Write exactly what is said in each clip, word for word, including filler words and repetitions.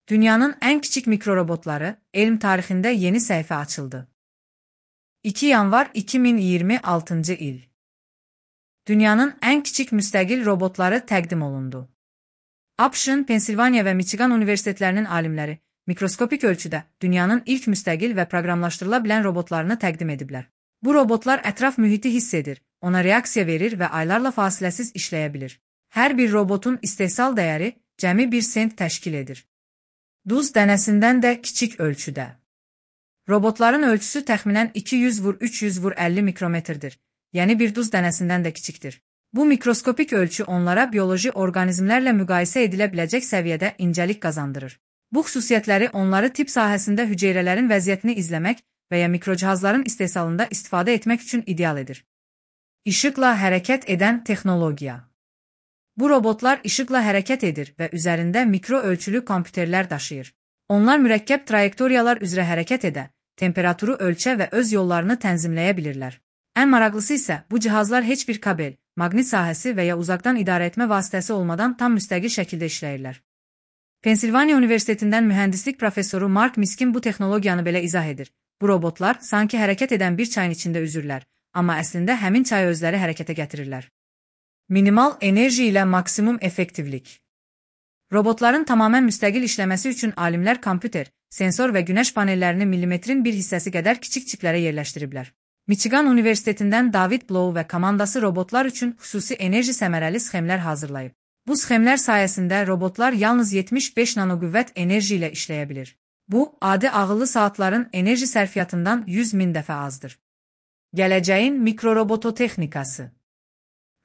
Dünyanın en küçük mikrorobotları, elm tarixində yeni səhifə açıldı. iki yanvar iki bin iyirmi altıncı il. Dünyanın en küçük müstəqil robotları təqdim olundu. ABŞ-ın Pensilvaniya və Michigan universitetlərinin alimləri mikroskopik ölçüdə dünyanın ilk müstəqil və proqramlaşdırıla bilən robotlarını təqdim ediblər. Bu robotlar ətraf mühiti hiss edir, ona reaksiya verir və aylarla fasiləsiz işləyə bilir. Hər bir robotun istehsal dəyəri cəmi bir sent təşkil edir. Duz dənəsindən də kiçik ölçüdə. Robotların ölçüsü təxminən iki yüz vur üç yüz vur əlli mikrometrdir, yəni bir duz dənəsindən də kiçikdir. Bu mikroskopik ölçü onlara bioloji orqanizmlərlə müqayisə edilə biləcək səviyyədə incəlik qazandırır. Bu xüsusiyyətləri onları tibb sahəsində hüceyrələrin vəziyyətini izləmək və ya mikrocihazların istehsalında istifadə etmək üçün ideal edir. İşıqla hərəkət edən texnologiya. Bu robotlar işıqla hərəkət edir və üzərində mikro ölçülü kompüterlər daşıyır. Onlar mürəkkəb trayektoriyalar üzrə hərəkət edə, temperaturu ölçə və öz yollarını tənzimləyə bilirlər. Ən maraqlısı isə bu cihazlar heç bir kabel, maqnit sahəsi və ya uzaqdan idarə etmə vasitəsi olmadan tam müstəqil şəkildə işləyirlər. Pensilvaniya Universitetindən mühəndislik professoru Mark Miskin bu texnologiyanı belə izah edir. Bu robotlar sanki hərəkət edən bir çayın içində üzürlər, amma əslində həmin çayı özləri hərəkətə gətirirlər. Minimal enerji ilə maksimum effektivlik. Robotların tamamən müstəqil işləməsi üçün alimlər kompüter, sensor və günəş panellərini millimetrin bir hissəsi qədər kiçik çiplərə yerləşdiriblər. Michigan Universitetindən David Blow və komandası robotlar üçün xüsusi enerji səmərəli sxemlər hazırlayıb. Bu sxemlər sayəsində robotlar yalnız yetmiş beş nanoqüvvət enerji ilə işləyə bilir. Bu, adi ağıllı saatların enerji sərfiyyatından yüz min dəfə azdır. Gələcəyin mikrorobototexnikası.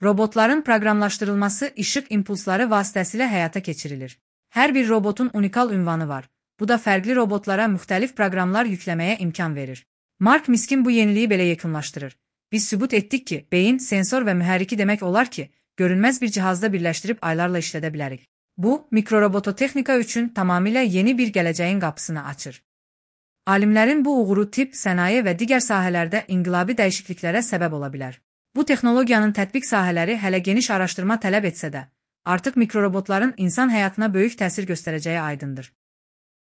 Robotların proqramlaşdırılması işıq impulsları vasitəsilə həyata keçirilir. Hər bir robotun unikal ünvanı var. Bu da fərqli robotlara müxtəlif proqramlar yükləməyə imkan verir. Mark Miskin bu yeniliyi belə yekunlaşdırır. Biz sübut etdik ki, beyin, sensor və mühərriki demək olar ki, görünməz bir cihazda birləşdirib aylarla işlədə bilərik. Bu, mikrorobototexnika üçün tamamilə yeni bir gələcəyin qapısını açır. Alimlərin bu uğuru tibb, sənaye və digər sahələrdə inqilabi dəyişikliklərə səbəb ola bilər. Bu texnologiyanın tətbiq sahələri hələ geniş araşdırma tələb etsə də, artıq mikrorobotların insan həyatına böyük təsir göstərəcəyi aydındır.